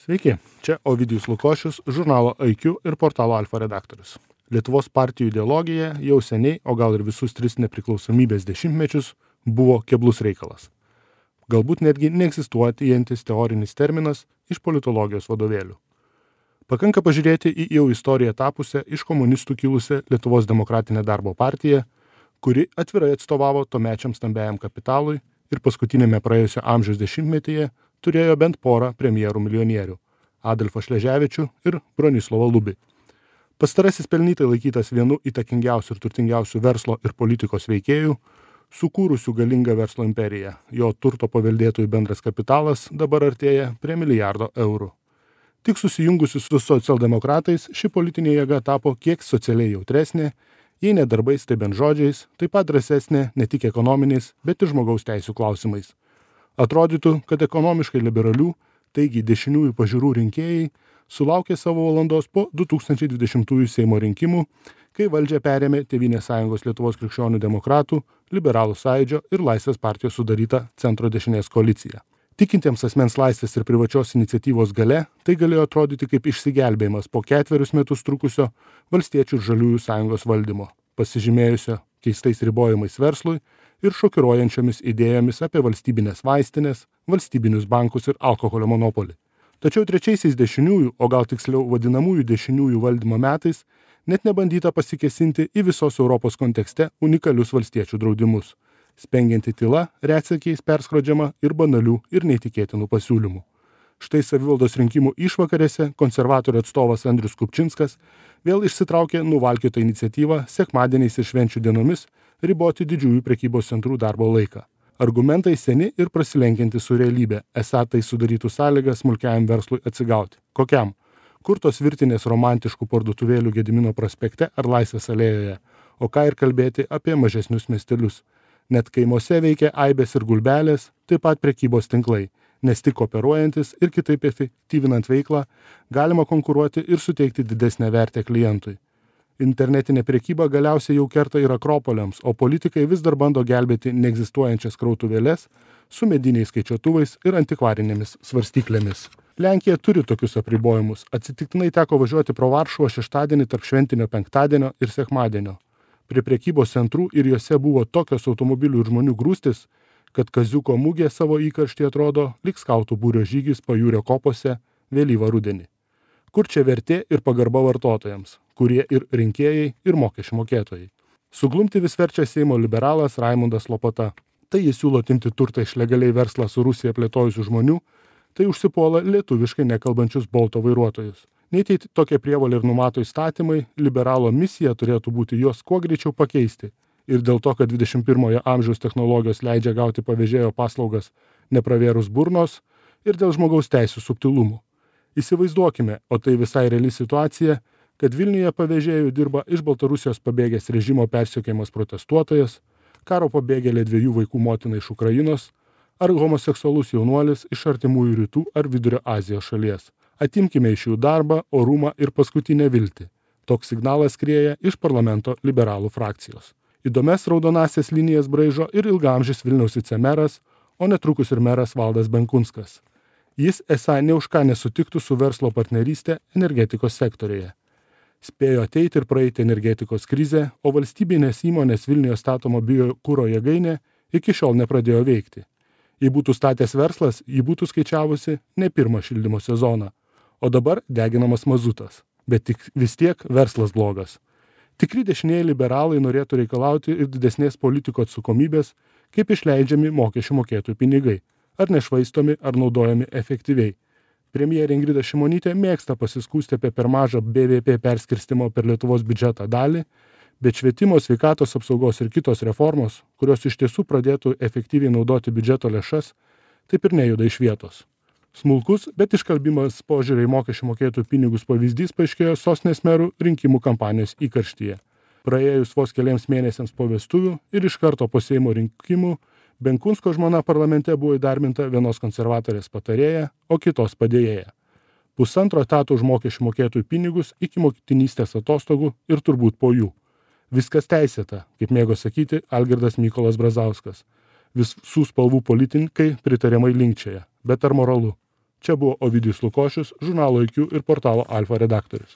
Sveiki, čia Ovidijus Lukošius, žurnalo IQ ir portalo Alfa redaktorius. Lietuvos partijų ideologija jau seniai, o gal ir visus 3 nepriklausomybės dešimtmečius, buvo keblus reikalas. Galbūt netgi neegzistuojantis teorinis terminas iš politologijos vadovėlių. Pakanka pažiūrėti į jau istoriją tapusią iš komunistų kilusią Lietuvos demokratinę darbo partiją, kuri atvirai atstovavo tuomečiam stambiajam kapitalui ir paskutinėme praėjusio amžiaus dešimtmetyje turėjo bent porą premjerų milijonierių – Adolfą Šleževičių ir Bronislovą Lubį. Pastarasis pelnytai laikytas vienu įtakingiausių ir turtingiausių verslo ir politikos veikėjų, sukūrusių galingą verslo imperiją. Jo turto paveldėtojų bendras kapitalas dabar artėja prie milijardo eurų. Tik susijungusi su socialdemokratais ši politinė jėga tapo kiek socialiai jautresnė, jei ne darbais, tai bent žodžiais, taip pat drąsesnė ne tik ekonominiais, bet ir žmogaus teisių klausimais. Atrodytų, kad ekonomiškai liberalių, taigi dešiniųjų pažiūrų rinkėjai sulaukė savo valandos po 2020 Seimo rinkimų, kai valdžią perėmė Tėvynės sąjungos Lietuvos krikščionių demokratų, Liberalų sąjūdžio ir Laisvės partijos sudaryta centro dešinės koalicija. Tikintiems asmens laisvės ir privačios iniciatyvos gale, tai galėjo atrodyti kaip išsigelbėjimas po 4 metus trukusio Valstiečių ir Žaliųjų sąjungos valdymo, pasižymėjusio keistais ribojimais verslui ir šokiruojančiomis idėjomis apie valstybinės vaistinės, valstybinius bankus ir alkoholio monopolį. Tačiau trečiaisiais dešiniųjų, o gal tiksliau vadinamųjų dešiniųjų valdymo metais, net nebandyta pasikesinti į visos Europos kontekste unikalius valstiečių draudimus, spengianti tyla, retsykiais perskrodžiama ir banalių ir neįtikėtinų pasiūlymų. Štai savivaldos rinkimų išvakarėse konservatorių atstovas Andrius Kupčinskas vėl išsitraukė nuvalkiotą iniciatyvą sekmadieniais ir švenčių dienomis riboti didžiųjų prekybos centrų darbo laiką. Argumentai seni ir prasilenkianti su realybė, esą tai sudarytų sąlygas smulkiajam verslui atsigauti. Kokiam? Kur tos virtinės romantiškų parduotuvėlių Gedimino prospekte ar Laisvės alėjoje, o ką ir kalbėti apie mažesnius miestelius. Net kaimuose veikia aibės ir gulbelės, taip pat prekybos tinklai, nes tik kooperuojantis ir kitaip efektyvinant veiklą galima konkuruoti ir suteikti didesnę vertę klientui. Internetinė prekyba galiausiai jau kerta ir akropoliams, o politikai vis dar bando gelbėti neegzistuojančias krautuvėles su mediniais skaičiuotuvais ir antikvarinėmis svarstyklėmis. Lenkija turi tokius apribojimus. Atsitiktinai teko važiuoti pro Varšuvą šeštadienį tarp šventinio penktadienio ir sekmadienio. Prie prekybos centrų ir juose buvo tokios automobilių ir žmonių grūstis, kad Kaziuko mugė savo įkarštį atrodo lyg skautų būrio žygis pajūrio kopose vėlyvą rudenį. Kur čia vertė ir pagarba vartotojams, kurie ir rinkėjai, ir mokesčių mokėtojai. Suglumti vis verčia Seimo liberalas Raimundas Lopata. Tai jis siūlo atimti turtą iš legaliai verslą su Rusija plėtojusių žmonių, tai užsipuola lietuviškai nekalbančius Bolto vairuotojus. Nei tai tokie prievolė ir numato įstatymai, liberalo misija turėtų būti juos kuo greičiau pakeisti. Ir dėl to, kad 21 amžiaus technologijos leidžia gauti pavėžėjo paslaugas nepravėrus burnos, ir dėl žmogaus teisių subtilumų. Įsivaizduokime, o tai visai reali situacija, kad Vilniuje pavėžėjų dirba iš Baltarusijos pabėgęs režimo persekiojamas protestuotojas, karo pabėgėlė 2 vaikų motina iš Ukrainos ar homoseksualus jaunuolis iš artimųjų rytų ar Vidurio Azijos šalies. Atimkime iš jų darbą, orumą ir paskutinę viltį. Toks signalas skrieja iš parlamento liberalų frakcijos. Įdomias raudonasias linijas braižo ir ilgaamžis Vilniaus vicemeras, o netrukus ir meras Valdas Benkunskas. Jis esą ne už ką nesutiktų su verslo partnerystė energetikos sektorėje. Spėjo ateiti ir praeiti energetikos krizę, o valstybinės įmonės Vilniuje statoma biokuro jėgainė iki šiol nepradėjo veikti. Jei būtų statęs verslas, jį būtų skaičiavusi ne pirmą šildymo sezoną, o dabar deginamas mazutas. Bet tik vis tiek verslas blogas. Tikri dešinieji liberalai norėtų reikalauti ir didesnės politikų atsakomybės, kaip išleidžiami mokesčių mokėtojų pinigai, ar nešvaistomi, ar naudojami efektyviai. Premjerė Ingrida Šimonytė mėgsta pasiskųsti apie per mažą BVP perskirstimo per Lietuvos biudžetą dalį, bet švietimo, sveikatos apsaugos ir kitos reformos, kurios iš tiesų pradėtų efektyviai naudoti biudžeto lėšas, taip ir nejuda iš vietos. Smulkus, bet iškalbimas požiūrį į mokesčių mokėtojų pinigus pavyzdys paaiškėjo sostinės merų rinkimų kampanijos įkarštyje. Praėjus vos keliams mėnesiams po vestuvių ir iš karto po Seimo rinkimų, Benkunsko žmona parlamente buvo įdarbinta vienos konservatorės patarėja, o kitos padėjėja. 1,5 etato už mokesčių mokėtojų pinigus iki motinystės atostogų ir turbūt po jų. Viskas teisėta, kaip mėgo sakyti Algirdas Mykolas Brazauskas. Visų spalvų politikai pritariamai linkčioja, bet ar moralu? Čia buvo Ovidijus Lukošius, žurnalo IQ ir portalo Alfa redaktorius.